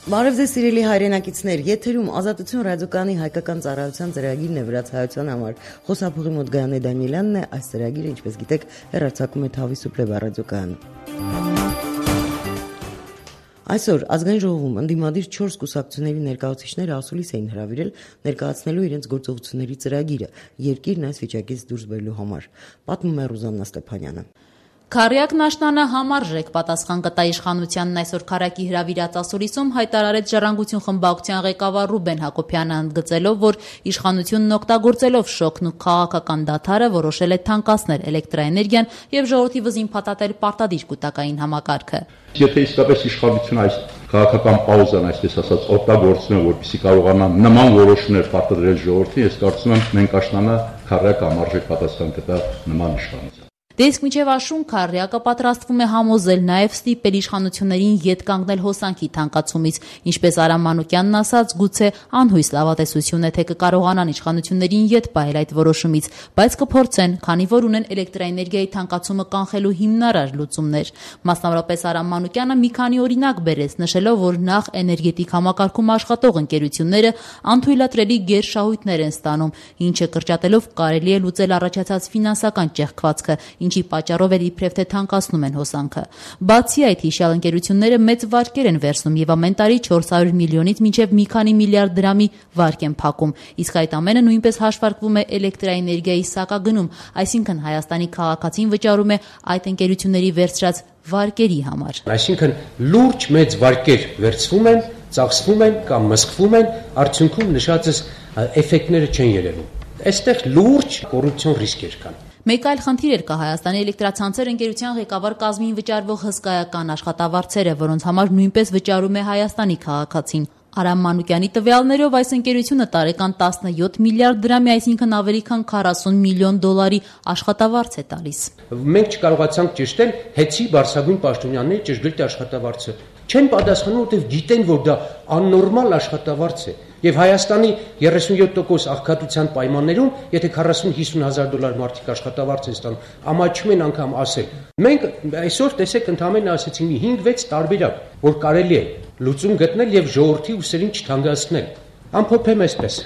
Բարև ձեզ սիրելի հայրենակիցներ, եթերում Ազատություն ռադիոկայանի հայկական ծառայության ծրագիրն է վրացայության համար։ Խոսափողի մոտ Գայանե Դանիելյանն է, այս ծրագիրը, ինչպես գիտեք, հեռարձակում է Թավի Սուպլեվա ռադիոկայանը։ Այսօր ազգային ժողովում ընդդիմադիր 4 կուսակցությունների ներկայացուցիչները ասուլիս էին հրավիրել ներկայացնելու իրենց գործողությունների ծրագիրը երկիրն այս վիճակից դուրս բերելու համար։ Պատմում է Ռուզաննա Ստեփանյանը։ Քարյակն աշնանը համարժեք պատասխան կտա իշխանությանն այսօր քարյակի հրավիրած ասուլիսում հայտարարեց Ժառանգություն խմբակցության ղեկավար Ռուբեն Հակոբյանը, ընդգծելով, որ իշխանությունն օգտագործելով շոկն ու քաղաքական դադարը որոշել է թանկացնել էլեկտրաէներգիան եւ ժողովրդի վզին փաթաթել պարտադիր կൂട്ടակային համակարգը։ Եթե իսկապես իշխանությունը այս քաղաքական պաուզան, այսպես ասած, օգտագործում է, որպեսզի կարողանա նման որոշումներ պարտադրել ժողովրդին, ես կարծում եմ մենք աշնանը քարյակը համարժեք պատասխան կտա նման իշխանության։ Դե իսկ մինչև աշուն Քարյակը պատրաստվում է համոզել նաև ստիպել իշխանություններին ետ կանգնել հոսանքի թանկացումից, ինչպես Արամ Մանուկյանն ասաց, գուցե անհույս լավատեսություն է, թե կկարողանան իշխանություններին ետ պահել այդ որոշումից, բայց կփորձեն, քանի որ ունեն էլեկտրաէներգիայի թանկացումը կանխելու հիմնարար լուծումներ։ Մասնավորապես Արամ Մանուկյանը մի քանի օրինակ բերեց, նշելով, որ նախ էներգետիկ համակարգում աշխատող ընկերությունները անթույլատրելի գերշահույթներ են ստանում, ինչը կրճատելով կարելի է լուծել առաջացած ֆինանսական ճեղքվածքը, ինչի պատճառով էլ իբրև թե թանկացնում են հոսանքը։ Բացի այդ, հիշյալ ընկերությունները մեծ վարկեր են վերցնում եւ ամեն տարի 400 միլիոնից մինչեւ մի քանի միլիարդ դրամի վարկ են փակում, իսկ այդ ամենը նույնպես հաշվարկվում է էլեկտրաէներգիայի սակագնում, այսինքն Հայաստանի քաղաքացին վճարում է այդ ընկերությունների վերցրած վարկերի համար։ Այսինքն լուրջ մեծ վարկեր վերցվում են, ծախսվում են կամ մսխվում են, արդյունքում նշածս էֆեկտները չեն երևում։ Այստեղ լուրջ կոռուպցիոն ռիսկեր կան։ Մեկ այլ խնդիր էր կա Հայաստանի էլեկտրացանցեր ընկերության ղեկավար կազմին վճարվող հսկայական աշխատավարձերը, որոնց համար նույնպես վճարում է Հայաստանի քաղաքացին։ Արամ Մանուկյանի տվյալներով այս ընկերությունը տարեկան 17 միլիարդ դրամի, այսինքն ավելի քան 40 միլիոն դոլարի աշխատավարձ է տալիս։ Մենք չկարողացանք ճշտել հեցի Բարսագույն պաշտոնյաների ճշգրիտ աշխատավարձը։ Չեն պատասխանում, որտեղ գիտեն, որ դա աննորմալ աշխատավարձ է։ Եվ Հայաստանի 37% աղքատության պայմաններում, եթե 40-50 հազար դոլար մարդիկ աշխատավարձ են ստանում, ամաչում են անգամ ասել։ Մենք այսօր տեսեք ընդհանրապես ասեցին 5-6 տարբերակ, որ կարելի է լուծում գտնել եւ ժողովրդի ուսերին չթանկացնել։ Ամփոփեմ այսպես.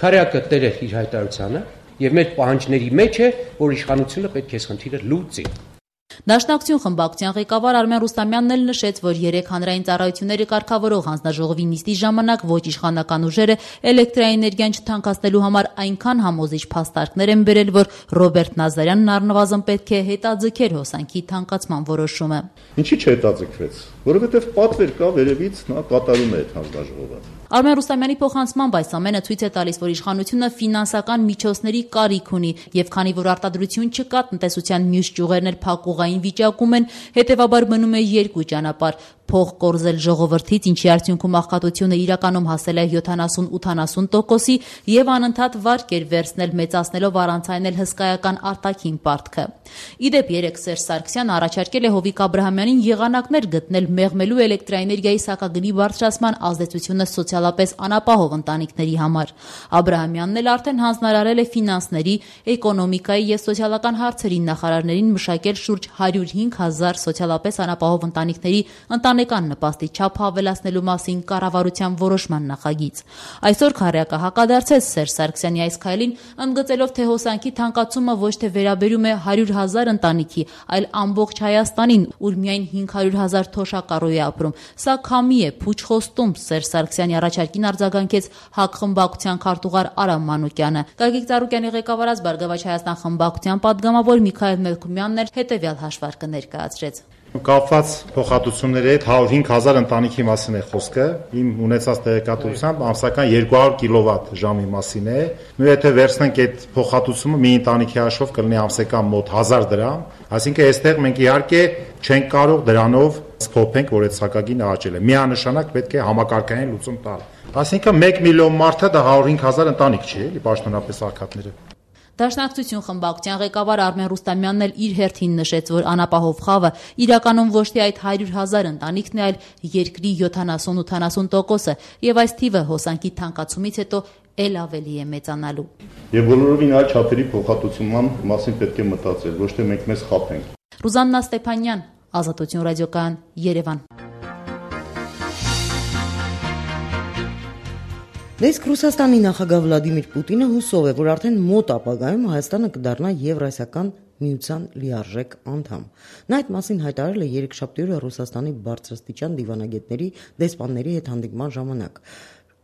Քարյակը տեր է իր հայտարարությանը եւ մեր պահանջների մեջ է, որ իշխանությունը պետք է խնդիրը լուծի։ Դաշնակցություն խմբակցության ղեկավար Արմեն Ռուստամյանն էլ նշեց, որ 3 հանրային ծառայությունները կարգավորող հանձնաժողովի նիստի ժամանակ ոչ իշխանական ուժերը էլեկտրաէներգիան չթանկացնելու համար այնքան համոզիչ փաստարկներ են բերել, որ Ռոբերտ Նազարյանն առնվազն պետք է հետաձգեր հոսանքի թանկացման որոշումը։ Ինչի՞ չհետաձգվեց, որովհետև պատվեր կա վերևից նա կատարում է այդ հանձնաժողովը։ Արմեն Ռուստամյանի փոխանցմամբ այս ամենը ցույց է տալիս, որ իշխանությունը ֆինանսական միջոցների կարիք ունի, եւ քանի որ արտադրություն չկա, տնտեսության մյուս ճյուղերն էլ փակուղային վիճակում են, հետեւաբար մնում է երկու ճանապարհ՝ փող կորզել ժողովրդից, ինչի արդյունքում աղքատությունը իրականում հասել է 70-80%-ի եւ անընդհատ վարկեր վերցնել, մեծացնելով առանց այն էլ հսկայական արտաքին պարտքը։ Իդեպ 3 Սերժ Սարգսյանը առաջարկել է Հովիկ Աբրահամյանին եղանակներ գտնել մեղմելու էլեկտրաէներգիայի սակագնի բարձրացման ազդեցությունը սոցիալապես անապահով ընտանիքների համար։ Աբրահամյանն էլ արդեն հանձնարարել է ֆինանսների, էկոնոմիկայի եւ սոցիալական հարցերի նախարարներին մշակել շուրջ 105,000 սոցիալապես անապահով ընտանիքների ընտանեկան նպաստի չափը ավելացնելու մասին կառավարության որոշման նախագիծ։ Այսօր Քարյակը հակադարձեց Սերժ Սարգսյանի այս քայլին, ընդգծելով, թե հոսանքի թանկացումը ոչ թե վերաբերում է 100,000 ընտանիքի, այլ ամբողջ Հայաստանին, ուր միայն 500,000 թոշակառու է ապրում։ Սա քամի է, փուչ խոստում, Սերժ Սարգսյանի առաջարկին արձագանքեց ՀԱԿ խմբակցության քարտուղար Արամ Մանուկյանը։ Գագիկ Ծառուկյանի ղեկավարած Բարգավաճ Հայաստան խմբակցության պատգամավոր Միքայել Մելքումյանն էլ հետևյալ հաշվարկը ներկայացրեց։ Կապված փոխհատուցումների հետ 105,000 ընտանիքի մասին է խոսքը, իմ ունեցած տեղեկատվությամբ ամսական 200 կիլովատ ժամի մասին է, նույն եթե վերցնենք այդ փոխհատուցումը մի ընտանիքի հաշվով կլինի ամսական մոտ 1000 դրամ, այսինքն այստեղ մենք իհարկե չենք կարող դրանով սփոփենք, որ այդ սակագինը աճել է, միանշանակ պետք է համակարգային լուծում տալ, այսինքն 1 միլիոն մարդը դա 105,000 ընտանիք չի, էլի պաշտոնապես աղքատները։ Դաշնակցություն խմբակցության ղեկավար Արմեն Ռուստամյանն էլ իր հերթին նշեց, որ անապահով խավը իրականում ոչ թե այդ 100,000 ընտանիքն է, այլ երկրի 70-80%-ը, եւ այս թիվը հոսանքի թանկացումից հետո էլ ավելի է մեծանալու։ Եվ բոլորովին այլ չափերի փոխհատուցման մասին պետք է մտածել, ոչ թե մենք մեզ խաբենք։ Ռուզաննա Ստեփանյան, Ազատություն ռադիոկայան, Երևան։ Դեսք Ռուսաստանի նախագահ Վլադիմիր Պուտինը հուսով է, որ արդեն մոտ ապագայում Հայաստանը կդառնա Եվրասիական միության լիարժեք անդամ։ Նա այդ մասին հայտարարել է երեքշաբթի օրը Ռուսաստանի բարձրաստիճան դիվանագետների դեսպանների հետ հանդիպման ժամանակ։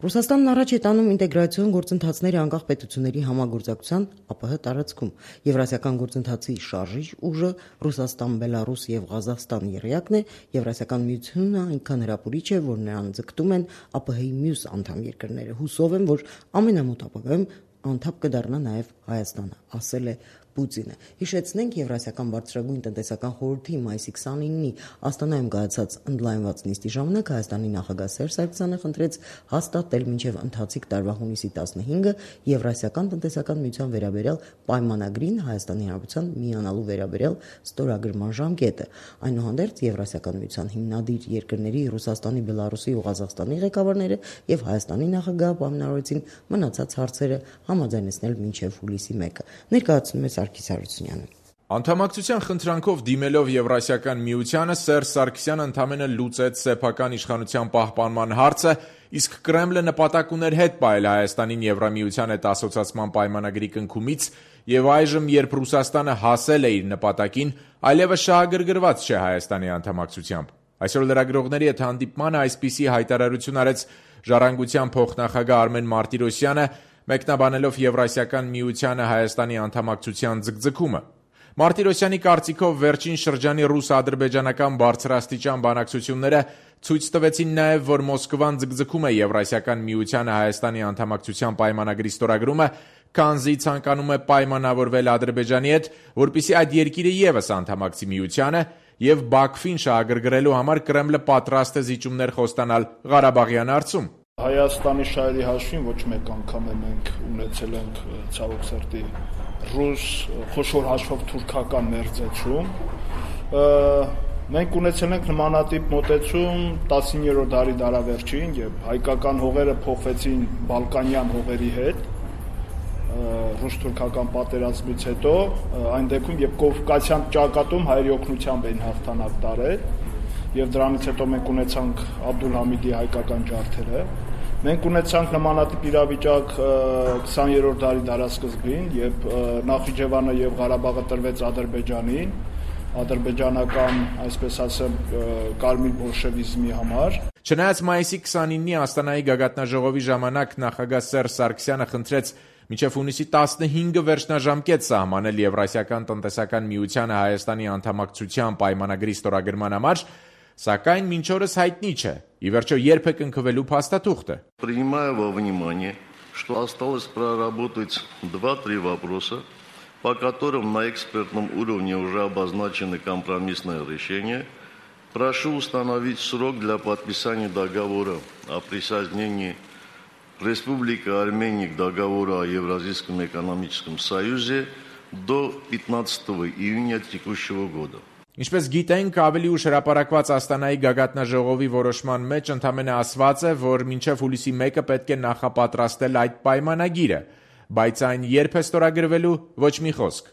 Ռուսաստանն առաջ է տանում ինտեգրացիոն գործընթացների անկախ պետությունների համագործակցության ԱՊՀ տարածքում։ Եվրասիական գործընթացի շարժիչ ուժը Ռուսաստան, Բելարուս եւ Ղազախստան եռյակն է, Եվրասիական միությունը այնքան հրապուրիչ է, որ նրան ձգտում են ԱՊՀ-ի մյուս անդամ երկրները։ Հուսով եմ, որ ամենամոտ ապագայում անդամ կդառնա նաեւ Հայաստանը, ասել է Պուտինը։ Հիշեցնենք, Եվրասիական բարձրագույն տնտեսական խորհրդի մայիսի 29-ի Աստանայում կայացած ընդլայնված նիստի ժամանակ Հայաստանի նախագահ Սերժ Սարգսյանը խնդրեց հաստատել մինչև ընթացիկ տարվա հունիսի 15-ը Եվրասիական տնտեսական միության վերաբերյալ պայմանագրին Հայաստանի Հանրապետության միանալու վերաբերյալ ստորագրման ժամկետը։ Այնուհանդերձ Եվրասիական միության հիմնադիր երկրների Ռուսաստանի, Բելարուսի ու Ղազախստանի ղեկավարները եւ Հայաստանի նախագահը պայմանավորեցին մնացած հարցերը համաձայնեցնել մինչև հուլիսի 1-ը։ Ներկայացնում է Սարգիս Հարությունյանը։ Անդամակցության խնդրանքով դիմելով Եվրասիական միությանը Սերժ Սարգսյանը ընդամենը լուծեց սեփական իշխանության պահպանման հարցը, իսկ Կրեմլը նպատակ ուներ հետ պահել Հայաստանին Եվրամիության հետ ասոցիացման պայմանագրի կնքումից եւ այժմ, երբ Ռուսաստանը հասել է իր նպատակին, այլևս շահագրգռված չէ Հայաստանի անդամակցությամբ։ Այսօր լրագրողների հետ հանդիպմանը այսպիսի հայտարարություն արեց Ժառանգության փոխնախագահ Արմեն Մարտիրոսյանը, մեկնաբանելով Եվրասիական միությանը Հայաստանի անդամակցության ձգձգումը։ Մարտիրոսյանի կարծիքով վերջին շրջանի ռուս-ադրբեջանական բարձրաստիճան բանակցությունները ցույց տվեցին նաև, որ Մոսկվան ձգձգում է Եվրասիական միությանը Հայաստանի անդամակցության պայմանագրի ստորագրումը, քանզի ցանկանում է պայմանավորվել Ադրբեջանի հետ, որպեսզի այդ երկիրը ևս անդամակցի միությանը, եւ Բաքվին շահագրգռելու համար Կրեմլը պատրաստ է զիջումներ խոստանալ Ղարաբաղյան հարցում։ Հայաստանի շահերի հաշվին ոչ մեկ անգամ մենք ունեցել ենք ցավոք սրտի ռուս խոշոր հաշվով թուրքական մերձեցում։ Մենք ունեցել ենք նմանատիպ մոտեցում 19-րդ դարի դարավերջին, երբ հայկական հողերը փոխվեցին բալկանյան հողերի հետ ռուս-թուրքական պատերազմից հետո, այն դեպքում, երբ Կովկասյան ճակատում հայերի օգնությամբ էին հաղթանակ տարել, եւ դրանից հետո մենք ունեցանք Աբդուլհամիդի հայկական ջարդերը։ Մենք ունեցանք նմանատիպ իրավիճակ 20-րդ դարի դարասկզբին, երբ Նախիջևանը եւ Ղարաբաղը տրվեց Ադրբեջանին, ադրբեջանական, այսպես ասեմ, կարմիր բոլշևիզմի համար։ Չնայած մայիսի 29-ի Աստանայի գագաթնաժողովի ժամանակ նախագահ Սերժ Սարգսյանը խնդրեց մինչև հունիսի 15-ը վերջնաժամկետ սահմանել Եվրասիական տնտեսական միությանը Հայաստանի անդամակցության պայմանագրի ստորագրման համար, սակայն մինչ օրս հայտնի չէ, ի վերջո երբ է կնքվելու փաստաթուղթը։ Принимая во внимание, что осталось проработать 2-3 вопроса, по которым на экспертном уровне уже обозначены компромиссные решения, прошу установить срок для подписания договора о присоединении Республики Армения к договору о Евразийском экономическом союзе до 15 июня текущего года. Ինչպես գիտենք, ավելի ուշ հրապարակված Աստանայի գագաթնաժողովի որոշման մեջ ընդամենը ասված է, որ մինչև հուլիսի 1-ը պետք է նախապատրաստել այդ պայմանագիրը, բայց այն երբ է ստորագրվելու, ոչ մի խոսք։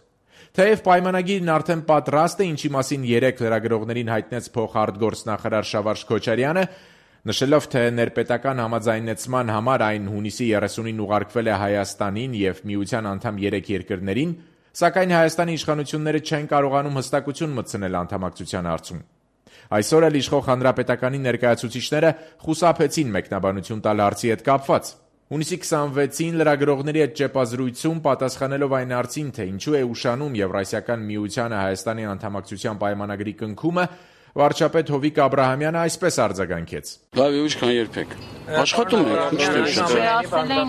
Թեև պայմանագիրն արդեն պատրաստ է, ինչի մասին երեք լրագրողներին հայտնեց փոխարտգործնախարար Շավարժ Քոչարյանը, նշելով, թե ներպետական համաձայնեցման համար այն հունիսի 30-ին ուղարկվել է Հայաստանին եւ միության անդամ 3 երկրներին, սակայն Հայաստանի իշխանությունները չեն կարողանում հստակություն մտցնել անդամակցության հարցում։ Այսօր էլ իշխող հանրապետականի ներկայացուցիչները խուսափեցին մեկնաբանություն տալ հարցի հետ կապված։ Հունիսի 26-ին լրագրողների հետ ճեպազրույցում պատասխանելով այն հարցին, թե ինչու է ուշանում Եվրասիական միությանը Հայաստանի անդամակցության պայմանագրի կնքումը, վարչապետ Հովիկ Աբրահամյանը այսպես արձագանքեց. Լավ, ինչքան երբեք։ Աշխատում ենք, ինչ թե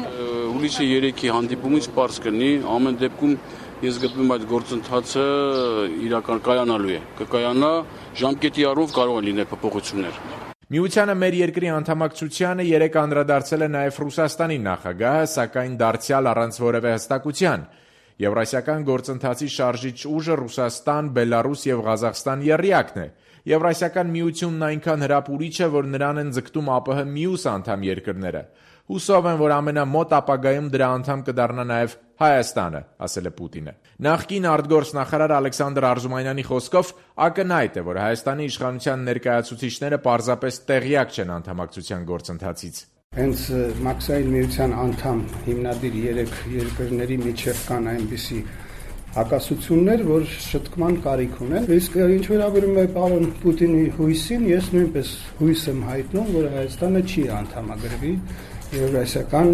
հուլիսի 3-ի հանդիպումից պարզ կլինի, ամեն դեպքում ես գտնում այդ գործընթացը իրական կայանալու է։ Կկայանա, ժամկետի առումով կարող են լինել փոփոխություններ։ Միությանը մեր երկրի անդամակցությանը երեք անդրադարձել է նաև Ռուսաստանի նախագահը, սակայն դարձյալ առանց որևէ հստակության։ Եվրասիական գործընթացի շարժիչ ուժը Ռուսաստան, Բելարուս եւ Ղազախստան եռյակն է։ Եվրասիական միությունն այնքան հրապուրիչ է, որ նրան են ձգտում ԱՊՀ մյուս անդամ երկրները։ Հուսով եմ, որ ամենամոտ ապագայում դրա անդամ կդառնա նաև Հայաստանը, ասել է Պուտինը։ Նախկին արտգործնախարար Ալեքսանդր Արզումանյանի խոսքով ակնհայտ է, որ Հայաստանի իշխանության ներկայացուցիչները պարզապես տեղյակ չեն անդամակցության գործընթացից։ Հենց Մաքսային միության անդամ հիմնադիր 3 երկրների միջև կան այնպիսի հակասություններ, որ շտկման կարիք ունեն։ Իսկ ինչ վերաբերում է պարոն Պուտինի հույսին, ես նույնպես հույս եմ հայտնում, որ Հայաստանը չի անդամագրվի Եվրասիական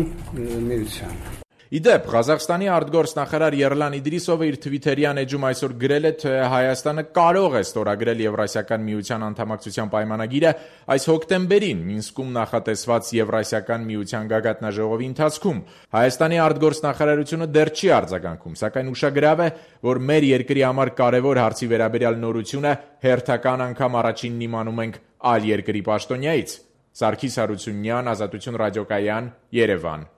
միության։ Իդեպ, Ղազախստանի արտգործնախարար Երլան Իդրիսովը իր թվիթերյան էջում այսօր գրել է, թե Հայաստանը կարող է ստորագրել Եվրասիական միության անդամակցության պայմանագիրը այս հոկտեմբերին Մինսկում նախատեսված Եվրասիական միության գագաթնաժողովի ընթացքում։ Հայաստանի արտգործնախարարությունը դեռ չի արձագանքում, սակայն ուշագրավ է, որ մեր երկրի համար կարևոր հարցի վերաբերյալ նորությունը հերթական անգամ առաջինն իմանում ենք այլ երկրի պաշտոնյայից։ Սարգիս Հարությունյան, Ազատություն ռադիոկայան, Երևան։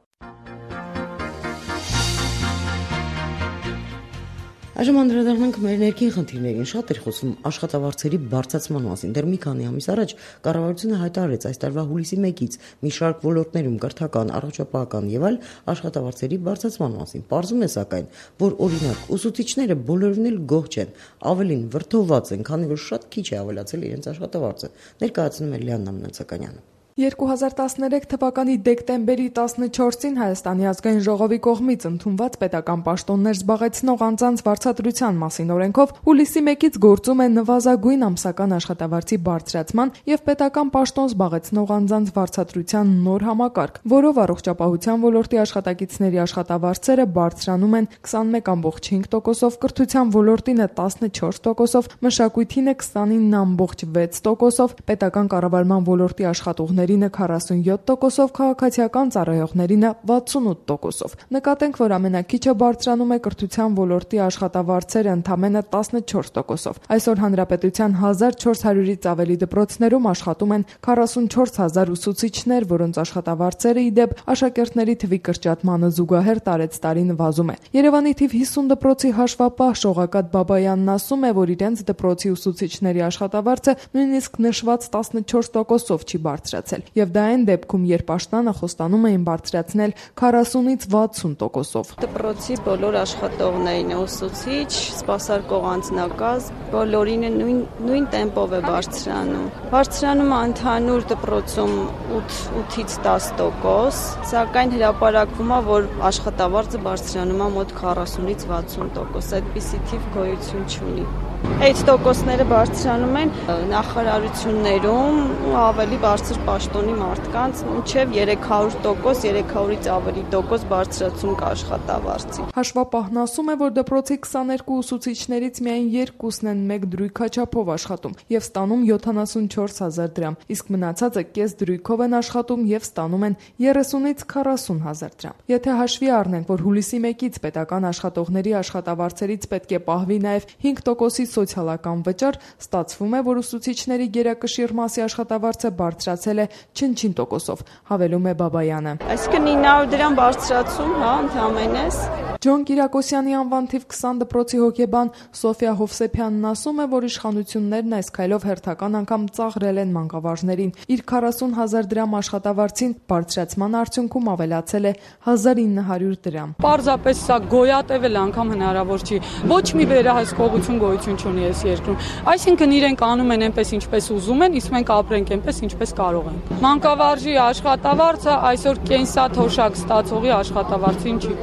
Այժմ անդրադառնանք մեր ներքին խնդիրներին։ Շատ էր խոսում աշխատավարձերի բարձրացման մասին։ Դեռ մի քանի ամիս առաջ կառավարությունը հայտարարեց այս տարվա հուլիսի 1-ից մի շարք ոլորտներում կրթական, առողջապահական եւ այլ աշխատավարձերի բարձրացման մասին։ Պարզում է սակայն, որ օրինակ ուսուցիչները բոլորովին էլ գոհ չեն, ավելին վրդովված են, քանի որ շատ քիչ է ավելացել իրենց աշխատավարձը։ Ներկայացնում է Լիաննա Մնացականյանը։ 2013 թվականի դեկտեմբերի 14-ին Հայաստանի ազգային ժողովի կողմից ընդունված պետական պաշտոններ զբաղեցնող անձանց վարձատրության մասին օրենքով հուլիսի 1-ից գործում է նվազագույն ամսական աշխատավարձի բարձրացման եւ պետական պաշտոն զբաղեցնող անձանց վարձատրության նոր համակարգ, որով առողջապահության ոլորտի աշխատակիցների աշխատավարձերը բարձրանում են 21.5%-ով, կրթության ոլորտին է 14%-ով, մշակույթին է 29.6%-ով, պետական կառավարման ոլորտի աշխատողների 47%-ով, քաղաքացիական ծառայողներին 68%-ով։ Նկատենք, որ ամենակիչը բարձրանում է կրթության ոլորտի աշխատավարձերը ընդամենը 14%-ով։ Այսօր հանրապետության 1400-ից ավելի դպրոցներում աշխատում են 44,000 ուսուցիչներ, որոնց աշխատավարձերը ի դեպ աշակերտների թվի կրճատմանը զուգահեռ տարեցտարի նվազում է։ Երևանի թիվ 50 դպրոցի հաշվապահ Շողակաթ Բաբայանն ասում է, որ իրենց դպրոցի ուսուցիչների աշխատավարձը նույնիսկ նշված 14%-ով չի բարձրացել։ Եվ դա այն դեպքում, երբ աշնանը խոստանում էին բարձրացնել 40-ից 60%-ով։ Դպրոցի բոլոր աշխատողներին, ուսուցիչ, սպասարկող անձնակազմ, բոլորին նույն տեմպով է բարձրանում։ Բարձրանում է ընդհանուր դպրոցում 8-ից 10%, սակայն հրապարակվում է, որ աշխատավարձը բարձրանում է մոտ 40-ից 60%։ Այդպիսի թիվ գոյություն չունի։ Այդ տոկոսները բարձրանում են նախարարություններում ու ավելի բարձր պաշտոնի մարդկանց մինչև 300%, 300-ից ավելի տոկոս բարձրացում կա աշխատավարձի։ Հաշվապահն ասում է, որ դպրոցի 22 ուսուցիչներից միայն 2-ն են մեկ դրույքաչափով աշխատում եւ ստանում 74,000 դրամ, իսկ մնացածը կես դրույքով են աշխատում եւ ստանում են 30-ից 40,000 դրամ։ Եթե հաշվի առնենք, որ հուլիսի 1-ից պետական աշխատողների աշխատավարձերից պետք է պահվի նաեւ 5%-ի սոցիալական վճար, ստացվում է, որ ուսուցիչների գերակշիռ մասի աշխատավարձը բարձրացել է չնչին տոկոսով, հավելում է Բաբայանը։ Այսինքն 900 դրամ բարձրացում, ընդհանրապես։ Ջոն Կիրակոսյանի անվան թիվ 20 դպրոցի հոգեբան Սոֆիա Հովսեփյանն ասում է, որ իշխանություններն այս քայլով հերթական անգամ ծաղրել են մանկավարժներին։ Իր 40,000 դրամ աշխատավարձին բարձրացման արդյունքում ավելացել է 1900 դրամ։ Պարզապես սա գոյատևել անգամ հնարավոր չի։ Ոչ մի վերահսկողություն գոյություն չունի այս երկրում։ Այսինքն իրենք անում են այնպես ինչպես ուզում են, իսկ մենք ապրենք այնպես ինչպես կարող ենք։ Մանկավարժի աշխատավարձը այսօր կենսաթոշակ ստացողի աշխատավարձին չի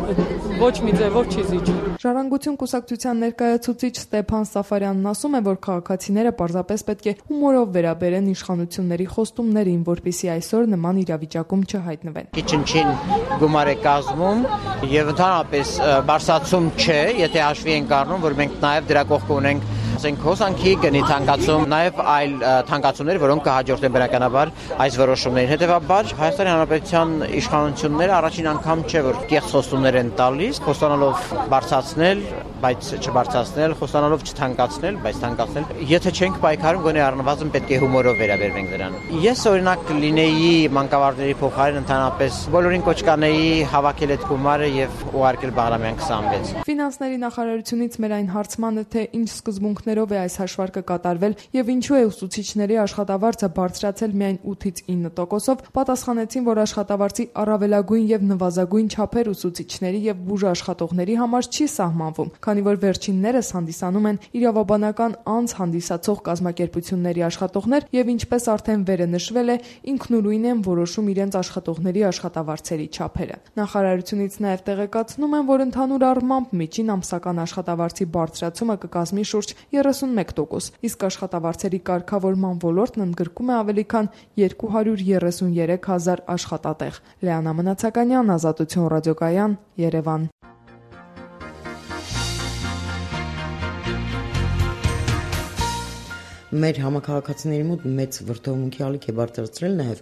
ոչ մի ձևով չի զիջում։ Ժառանգություն կուսակցության ներկայացուցիչ Ստեփան Սաֆարյանն ասում է, որ քաղաքացիները պարզապես պետք է հումորով վերաբերեն իշխանությունների խոստումներին, որպեսզի այսօր նման իրավիճակում չհայտնվեն։ Չնչին գումար է կազմում եւ ընդհանրապես բարձրացում չէ, եթե հաշվի ենք առնում, որ մենք նաեւ դրա կողքը ունենք ասենք հոսանքի գնի թանկացում, նաև այլ թանկացումներ, որոնք կհաջորդեն բնականաբար այս որոշումներին։ Հետևաբար Հայաստանի Հանրապետության իշխանությունները առաջին անգամ չէ, որ կեղծ խոստումներ են տալիս, խոստանալով բարձրացնել, բայց չբարձրացնել, խոստանալով չթանկացնել, բայց թանկացնել։ Եթե չենք պայքարում, գոնե առնվազն պետք է հումորով վերաբերվենք դրան։ Ես օրինակ լինեի մանկավարժների փոխարեն ընդհանրապես բոլորին կոչ կանեի հավաքել այդ գումարը եւ ուղարկել Բաղրամյան 26։ Ֆինանսների նախարարությունից մեր այն հարցմանը, թե ինչ սկզբունքներով է այս հաշվարկը կատարվել եւ ինչու է ուսուցիչների աշխատավարձը բարձրացել միայն 8-ից 9%-ով, պատասխանեցին, որ աշխատավարձի առավելագույն եւ նվազագույն չափեր ուսուցիչների եւ բուժաշխատողների համար չի սահմանվում, քանի որ վերջիններս հանդիսանում են իրավաբանական անձ հանդիսացող կազմակերպությունների աշխատողներ եւ ինչպես արդեն վերը նշվել է, ինքնուրույն են որոշում իրենց աշխատողների աշխատավարձերի չափերը։ Նախարարությունից նաեւ տեղեկացնում են, որ ընդհանուր առմամբ միջին ամսական աշխատավարձի բարձրացումը կկազմի շուրջ 31%, իսկ աշխատավարձերի կարգավորման ոլորտն ընդգրկում է ավելի քան 233 000 աշխատատեղ։ Լեանա Մնացականյան, Ազատություն ռադիոկայան, Երևան։ Մեր համակարգացիների մոտ մեծ վրդովմունքի ալիք է բարձրացրել նաև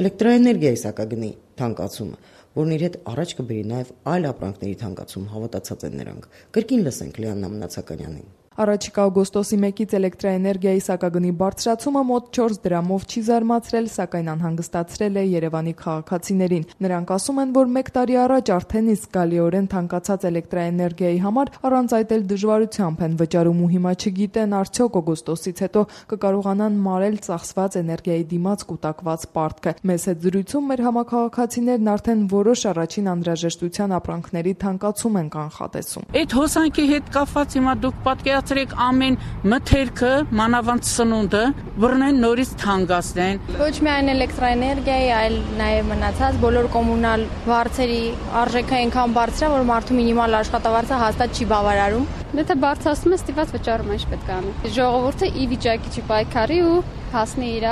էլեկտրաէներգիայի սակագնի թանկացումը, որն իր հետ առաջ կբերի նաև այլ ապրանքների թանկացում, հավատացած են նրանք։ Կրկին լսենք Լեանա Մնացականյանին։ Առաջիկա օգոստոսի 1-ից էլեկտրաէներգիայի սակագնի բարձրացումը մոտ 4 դրամով չի զարմացրել, սակայն անհանգստացրել է Երևանի քաղաքացիներին։ Նրանք ասում են, որ 1 տարի առաջ արդեն իսկ զգալիորեն թանկացած էլեկտրաէներգիայի համար առանց այդ էլ դժվարությամբ են վճարում ու հիմա չգիտեն արդյոք օգոստոսից հետո կկարողանան մարել ծախսված էներգիայի դիմաց կուտակված պարտքը։ Մեզ հետ զրույցում մեր համակարգացիներն արդեն որոշ առաջին անհրաժեշտության ապրանքների թանկացում են կանխատեսում։ Այդ հոսանքի հետ կապված հիմա դուք պատկերացրեք ամեն մթերքը, մանավանդ սնունդը, բռնեն նորից թանկացնեն։ Ոչ միայն էլեկտրաէներգիայի, այլ նաև մնացած բոլոր կոմունալ վարձերի արժեքը այնքան բարձր է, որ մարդու մինիմալ աշխատավարձը հաստատ չի բավարարում։ Եթե բարձրացնում է, ստիպված վճարում է, ինչ պետք է անի։ Ժողովուրդը ի վիճակի չի պայքարի ու հասնի իր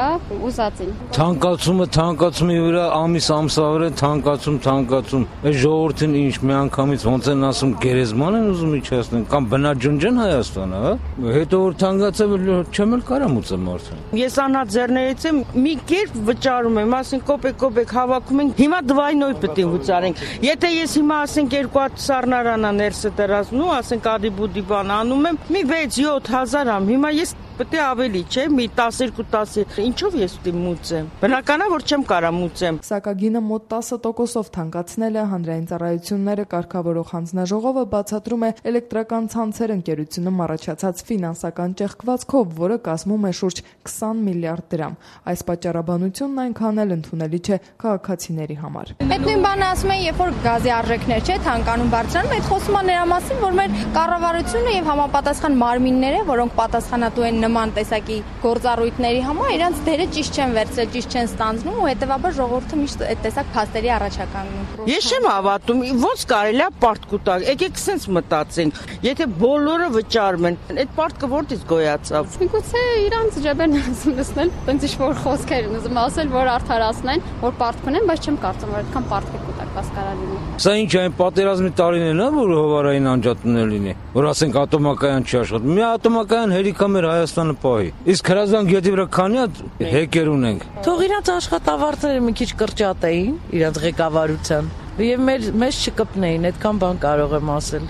ուզածին։ Թանկացումի վրա ամիս ամսավեր թանկացում։ Այս ժողովրդին ինչ միանգամից ոնց են ասում գերեզման են ուզում իջացնեն կամ բնաջնջեն Հայաստանը, հա։ Հետո որ թանկացավ չեմ էլ կարամ ուծեմ արդեն։ Ես անհատ ձեռներից եմ մի կերպ վճարում եմ, ասենք կոպեկ հավաքում ենք։ Հիմա դվայնոյ պետք է վճարենք։ Եթե ես հիմա ասենք 2 հատ սառնարանա ներսը դրածնու, ասենք ադի բան անում եմ, մի 6-7 հազար ամ, հիմա ես պետք է ավելի, չէ, մի 12-10, ինչով ես պետք է մուծեմ։ Բնական է, որ չեմ կարա մուծեմ։ Սակագինը մոտ 10%-ով թանկացնել է հանրային ծառայությունները կարգավորող հանձնաժողովը բացատրում է էլեկտրական ցանցեր ընկերությունում առաջացած ֆինանսական ճեղքվածքով, որը կազմում է շուրջ 20 միլիարդ դրամ։ Այս պատճառաբանությունն այնքան էլ ընդունելի չէ քաղաքացիների համար։ Այդ նույն բանը ասում են, երբ որ գազի արժեքներ չէ, թանկանում բարձրանում, այդ խոսում է նրա մասին, որ մեր կառավարությունը եւ համապատասխան մարմինները, որոնք պատասխանատու են նման տեսակի գործառույթների համար, իրանց դերը ճիշտ չեն վերցրել, ճիշտ չեն ստանձնում ու հետեւաբար ժողովուրդը միշտ այդ տեսակ փաստերի առաջ է կանգնում։ Ես չեմ հավատում, ոնց կարելի է պարտք ուտալ։ Եկեք սենց մտածենք, եթե բոլորը վճարում են, այդ պարտքը որտից գոյացավ։ Միգուցե իրանց ջեբերն ուզում լսնել, տենց ինչ-որ խոսքեր ուզում ասել, որ արդարացնեն, որ պարտք ունեն, բայց չեմ կարծում, որ այդքան պարտք կուտակված կարա լինի։ Սա ինչ այն պատերազմի տարիներն է, որ հովարային անջատումներ լինի, որ ասենք ատոմակայան չի աշխատում։ Մի ատոմակայան հերիքա մեր Հայաստանը պահի։ Իսկ հրազդան գետի վրա քանի հատ հեկեր ունենք։ Թող իրանց աշխատավարձերը մի քիչ կրճատեին իրանց ղեկավարության եւ մեզ չկպնեին, այդքան բան կարող եմ ասել։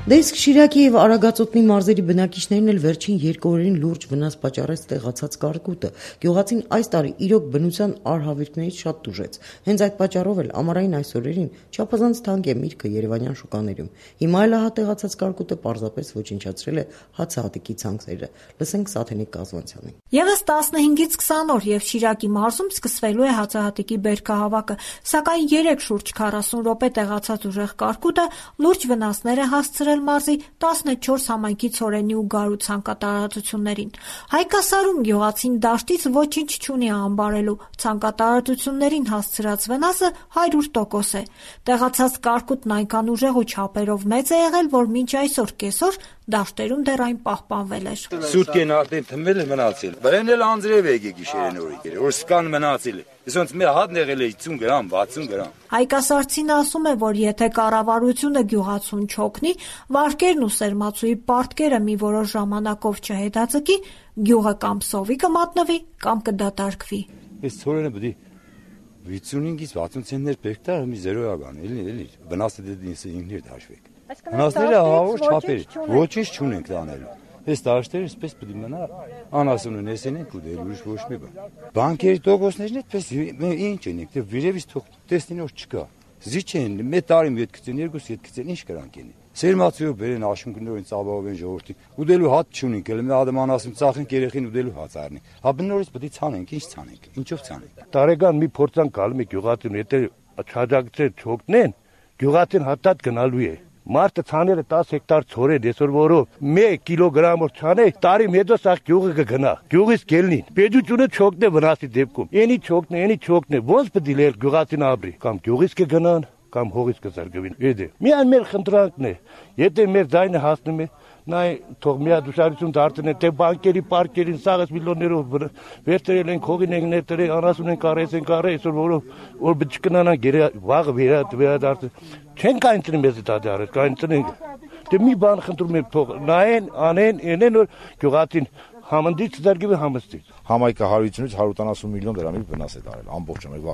Դե իսկ Շիրակի եւ Արագածոտնի մարզերի բնակիչներն էլ վերջին 2 օրերին լուրջ վնաս պատճառեց տեղացած կարկուտը։ Գյուղացին այս տարի իրոք բնության արհավիրքներից շատ տուժեց։ Հենց այդ պատճառով էլ ամառային այս օրերին չափազանց թանկ է միրգը երևանյան շուկաներում։ Հիմա էլ ահա տեղացած կարկուտը պարզապես ոչնչացրել է հացահատիկի ցանքերը։ Լսենք Սաթենիկ Կազմանցյանին։ Եվս 15-ից 20 օր եւ Շիրակի մարզում սկսվելու է հացահատիկի բերքահավաքը, սակայն 3 շուրջ 40 րոպե տեղացած ուժեղ կարկուտը լուրջ վնասներ է հասցրել մարզի 14 համայնքի ցորենի ու գարու ցանկատարածություններին։ Հայկասարում գյուղացին դաշտից ոչինչ չունի անբարելու, ցանկատարածություններին հասցրած վնասը 100% է։ Տեղացած կարկուտն այնքան ուժեղ ու չափերով մեծ է եղել, որ մինչ այսօր կեսօր դաշտերում դեռ այն պահպանվել էր։ Սուտկեն արդեն թմվել է մնացել։ Բրեն էլ անձրև եկի գիշերեն օրիկեր, որ սկան մնացել է։ Իսոնց մի հատ եղել է 50 գրամ, 60 գրամ։ Հայկասարցին ասում է, որ եթե կառավարությունը գյուղացուն չօգնի, վարկերն ու սերմացուի պարտքերը մի որոշ ժամանակով չհետաձգի, գյուղը կամ սովի կմատնվի, կամ կդատարկվի։ Այս ցորենը պետք է 55-ից 60 ցենտներ պեկտար մի 0 ական, էլի, վնասը դե ինքներ դաշվեք։ Վնասները հավոր չափեր, ոչինչ չունենք տանելու։ Այս դաշտերը այսպես պետք է մնա, անասունը նեսենենք ու դեր ուրիշ ոչ մի բան։ Բանկերի տոկոսներն այդպես ինչ են, դե վերևից թող տեսնին որ չկա։ Զիչ են, մի տարի մի գցեն, 2 գցեն, ինչ կրանք են։ Սերմացիով բերեն աշունքներով ծավալով են ժողովրդին։ Ուդելու հատ չունենք, էլ մի ադամ անասուն ծախենք երեխին ուդելու հաց առնի։ Հա բնորից պետք է ցանենք, ինչ ցանենք, ինչով ցանենք։ Տարեկան մի փորձանք գալու մի գյուղացին, եթե չաջակցեն չօգնեն, գյուղացին հատած գնալու է։ Մարդը ցաները 10 հեկտար ցորեն, այսօր որով 1 կիլոգրամ որ ցանե, տարի մեդոս ախ գյուղը կգնա։ Գյուղից կելնին։ Պետությունը չօգնե վնասի դեպքում։ Էնի չօգնե, ոնց պետք է լեր գյուղացին ապրի։ Կամ գյուղից կգնան, կամ հողից կզարգվին։ Էդե։ Միայն մեր խնդրանքն է։ Եթե մեր ձայնը հասնում է, նայ թող միադուշարություն դարձնեն, թե բանկերի, պարկերին սաղս միլիոններով վերցրել են, հողին են ներդրել, անասուն են կարել, այսօր որ չկնանան վաղը վերադարձել։ Չեն կանցնի մեզ դա դարել, կանցնենք։ Դե մի բան խնդրում եմ թող նայեն, անեն, այնեն որ գյուղացին համնդից զարգվի համստից։ Համայնքը 150-ից 170 միլիոն դրամի վնաս է տարել ամբողջ ամեն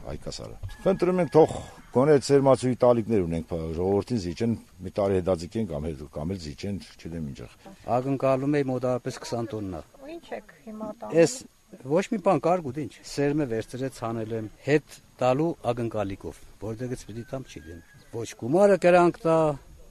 հայկասարը։ Խնդրում ենք թող գոնե ծերմացուի տալիքներ ունենք ժողովրդին զիջեն մի տարի հետաձգեն կամ էլ զիջեն, չգիտեմ ինչեղ։ Ակնկալում է մոտավորապես 20 տոննա։ Ինչ եք հիմա տալու։ Էս ոչ մի բան կարգուտ ինչ։ Սերմը վերցրեց հանել եմ հետ տալու ակնկալիքով, որտեղից պիտի տամ չգիտեմ։ Ոչ գումարը կրանք տա,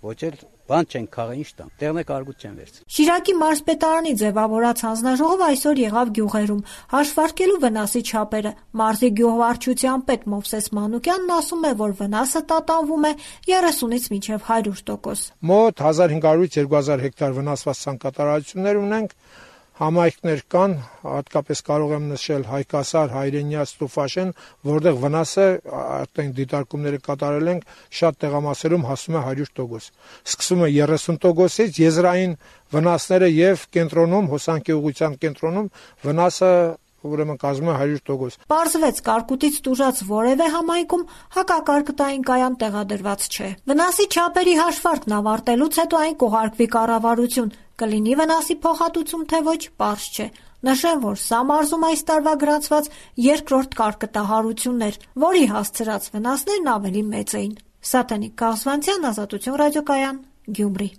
ոչ էլ բան չեն քաղաքին ինչ տամ, տեղն է կարգուտ չեն վերցրել։ Շիրակի մարզպետարանի ձևավորած հանձնաժողովը այսօր եղավ գյուղերում, հաշվարկելու վնասի չափերը։ Մարզի գյուղվարչության պետ Մովսես Մանուկյանն ասում է, որ վնասը տատանվում է 30-ից մինչև 100%։ Մոտ 1500-ից 2000 հեկտար վնասված ցանկատարություններ ունենք։ Համայնքներ կան, հատկապես կարող եմ նշել Հայկասար, Հայրենյաց, Տուֆաշեն, որտեղ վնասը արդեն դիտարկումները կատարել ենք, շատ տեղամասերում հասնում է 100%։ Սկսում է 30%-ից, եզրային վնասները եւ կենտրոնում, հոսանքի ուղղության կենտրոնում վնասը ուրեմն կազմում է 100%։ Պարզվեց կարկուտից տուժած որևէ համայնքում հակակարկտային կայան տեղադրված չէ։ Վնասի չափերի հաշվարկն ավարտելուց հետո այն կուղարկվի կառավարություն։ Կլինի վնասի փոխհատուցում թե ոչ, պարզ չէ։ Նշեմ, որ սա մարզում այս տարվա գրանցված երկրորդ կարկտահարությունն էր, որի հասցրած վնասներն ավելի մեծ էին։ Սատենիկ Կաղզվանցյան, Ազատություն ռադիոկայան, Գյումրի։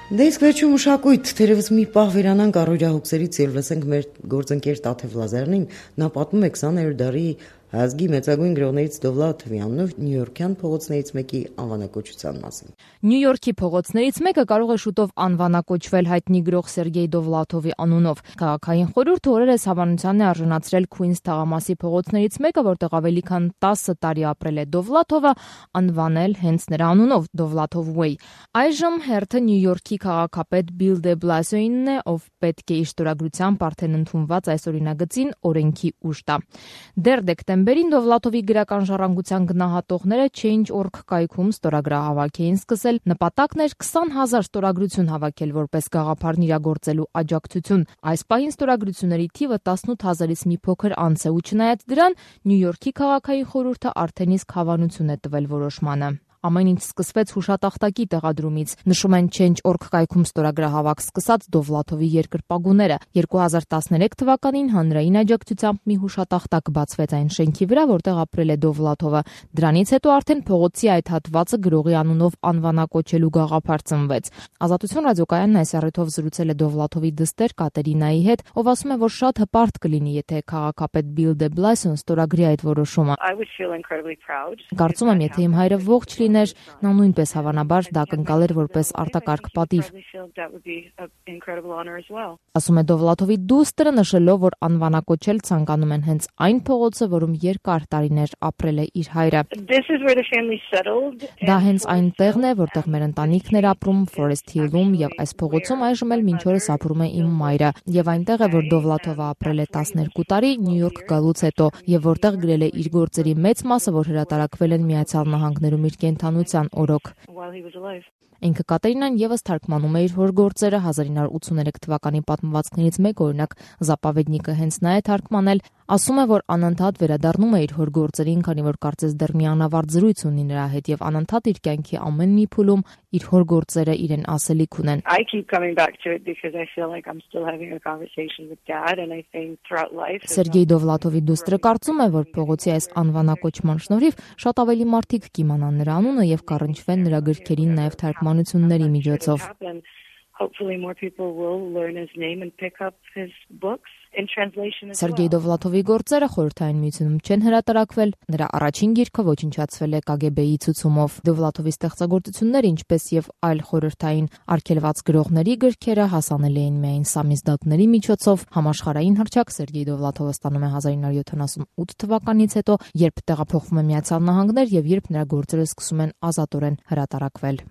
Դե իսկ վերջում մշակույթ, թերևս մի պահ վերանանք առօրյա հոգսերից եւ լսենք մեր գործընկեր Տաթև Լազարյանին, նա պատմում է 20-րդ դարի ազգի մեծագույն գրողներից Դովլաթ Թվյանով Նյու Յորքյան փողոցներից մեկի անվանակոչության մասին։ Նյու Յորքի փողոցներից մեկը կարող է շուտով անվանակոչվել հայտնի գրող Սերգեյ Դովլաթովի անունով։ Քաղաքային խորհուրդը օրերս հավանության է արժանացրել Քուինս թաղամասի փողոցներից մեկը, որտեղ ավելի քան 10 տարի ապրել է Դովլաթովը, անվանել հենց նրա անունով Դովլաթով Way։ Այժմ հերթը Նյու Յորքի քաղաքապետ Բիլ դե Բլասիոյին է, ով պետք է իր ստորագրությամբ արդեն ընդունված այս օրինագծին օրենքի ուժ տա։ Դեռ դեկտեմբերին Դովլաթովի գրական ժառանգության գնահատողները Change.org կայքում ստորագրահավաք էին սկսել։ Նպատակն էր 20,000 ստորագրություն հավաքել որպես գաղափարն իրագործելու աջակցություն։ Այս պահին ստորագրությունների թիվը 18,000-ից մի փոքր անց է, ու չնայած դրան Նյու Յորքի քաղաքային խորհուրդը արդեն իսկ հավանություն է տվել որոշմանը։ Ամեն ինչ սկսվեց հուշատախտակի տեղադրումից, նշում են Change.org կայքում ստորագրահավաք սկսած Դովլաթովի երկրպագուները։ 2013 թվականին հանրային աջակցությամբ մի հուշատախտակ բացվեց այն շենքի վրա, որտեղ ապրել է Դովլաթովը։ Դրանից հետո արդեն փողոցի այդ հատվածը գրողի անունով անվանակոչելու գաղափար ծնվեց։ Ազատություն ռադիոկայանն այս առիթով զրուցել է Դովլաթովի դստեր Կատերինայի հետ, ով ասում է, որ շատ հպարտ կլինի, եթե քաղաքապետ Բիլ դե Բլասիոն ստորագրի այդ որոշումը։ Կարծում եմ, եթե իմ հայրը ողջ լիներ, նա նույնպես հավանաբար դա կընկալեր որպես արտակարգ պատիվ։ Ասում է Դովլաթովի դուստրը, նշելով, որ անվանակոչել ցանկանում են հենց այն փողոցը, որում երկար տարիներ ապրել է իր հայրը։ Դա հենց այն տեղն է, որտեղ մեր ընտանիքն էր ապրում Forest Hill-ում, եւ այս փողոցում այժմ էլ մինչ օրս ապրում է իմ մայրը, եւ այնտեղ է, որ Դովլաթովը ապրել է 12 տարի Նյու Յորք գալուց հետո, եւ որտեղ գրել է իր գործերի մեծ մասը, որ հրատարակվել են Միացյալ Նահանգներում իր կենդանության օրոք։ Ինքը Կատերինան եւս թարգմանում է իր հոր գործերը 1983 թվականի պատմվածքներից մեկ, օրինակ Զապավեդնիկը հենց նա է թարգմանել, ասում է, որ անընդհատ վերադառնում է իր հոր գործերին, քանի որ կարծես դեռ մի անավարտ զրույց ունի նրա հետ եւ անընդհատ իր կյանքի ամեն մի փուլում իր հոր գործերը իրեն ասելիք ունեն։ Սերգեյ Դովլաթովի դուստրը կարծում է, որ փողոցի այս անվանակոչման շնորհիվ շատ ավելի մարդիկ կիմանան նրա անունը եւ կառնչվեն նրա գրքերին նաեւ թարգմանությունների միջոցով։ Սերգեյ Դովլաթովի գործերը Խորհրդային Միությունում չեն հրատարակվել, նրա առաջին գիրքը ոչնչացվել է KGB-ի ցուցումով։ Դովլաթովի ստեղծագործությունները, ինչպես եւ այլ խորհրդային արգելված գրողների գրքերը հասանելի էին միայն սամիզդատների միջոցով։ Համաշխարհային հռչակ Սերգեյ Դովլաթովը ստանում է 1978 թվականից հետո, երբ տեղափոխվում է Միացյալ Նահանգներ եւ երբ նրա գործերը սկսում են ազատորեն հրատարակվել։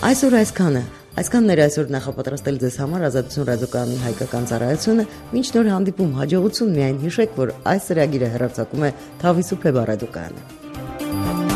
Այսօր այսքանը։ Այսքանն էր այսօր նախապատրաստել ձեզ համար Ազատություն ռադիոկայանի հայկական ծառայությունը։ Մինչ նոր հանդիպում, հաջողություն, միայն հիշեք, որ այս ծրագիրը հեռարձակում է Թավիսու Փեբա ռադիոկայանը։